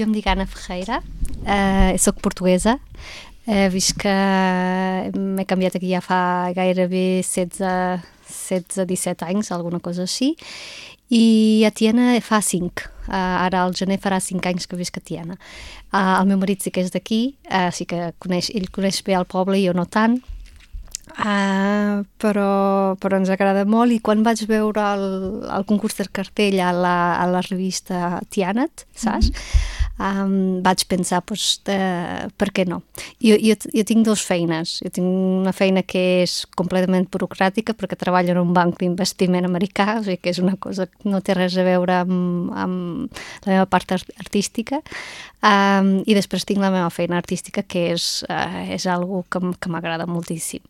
Jo em dic Anna Ferreira, soc portuguesa, visc que m'he canviat aquí ja fa gairebé 16-17 anys, alguna cosa així, i a Tiana fa 5. Ara al gener farà 5 anys que visc a Tiana. El meu marit sí que és d'aquí, sí que ell coneix bé el poble i jo no tant, però ens agrada molt, i quan vaig veure el concurs del cartell a la revista Tianet, saps? Vaig pensar, per què no? Jo tinc 2 feines. Jo tinc una feina que és completament burocràtica perquè treballo en un banc d'investiment americà, o sigui que és una cosa que no té res a veure amb la meva part artística, i després tinc la meva feina artística, que és algo que m'agrada moltíssim.